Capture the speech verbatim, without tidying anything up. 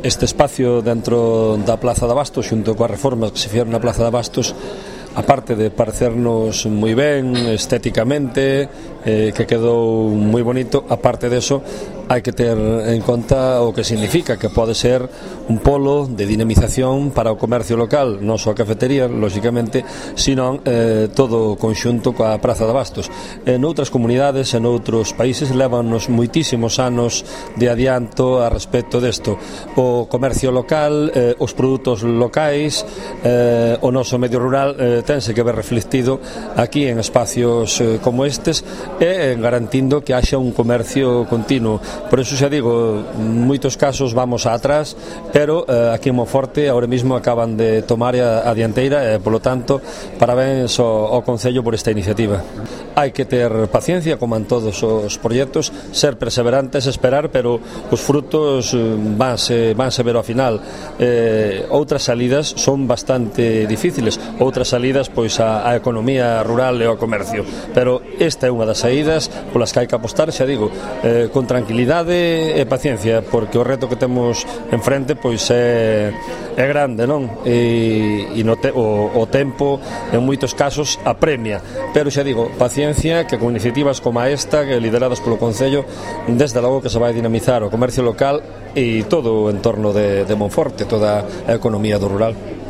Este espacio dentro da Plaza de Abastos, xunto coas reformas que se fixeron na Plaza de Abastos, aparte de parecernos moi ben estéticamente, eh, que quedou moi bonito, aparte deso hai que ter en conta o que significa, que pode ser un polo de dinamización para o comercio local, non só a cafetería, lóxicamente, sino eh, todo o conxunto coa Praza de Abastos. En outras comunidades, en outros países, levanos moitísimos anos de adianto a respecto desto. O comercio local, eh, os produtos locais, eh, o noso medio rural eh, tense que ver reflectido aquí en espacios eh, como estes e garantindo que haxa un comercio continuo. Por eso xa digo, en moitos casos vamos a atrás, pero eh, aquí en Monforte ahora mismo acaban de tomar a, a dianteira e, polo tanto, parabéns ao, ao Concello por esta iniciativa. Hai que ter paciencia, como en todos os proxectos, ser perseverantes, esperar, pero os frutos vanse, vanse ver ao final. Eh, outras salidas son bastante difíciles, outras salidas pois a, a economía rural e ao comercio, pero esta é unha das saídas polas que hai que apostar, xa digo, eh, con tranquilidade e paciencia, porque o reto que temos enfrente pois é, é grande, non? E, e no te, o, o tempo en moitos casos apremia, pero xa digo, paciencia, que con iniciativas como esta, que lideradas polo Concello, desde logo que se vai dinamizar o comercio local e todo o entorno de, de Monforte, toda a economía do rural.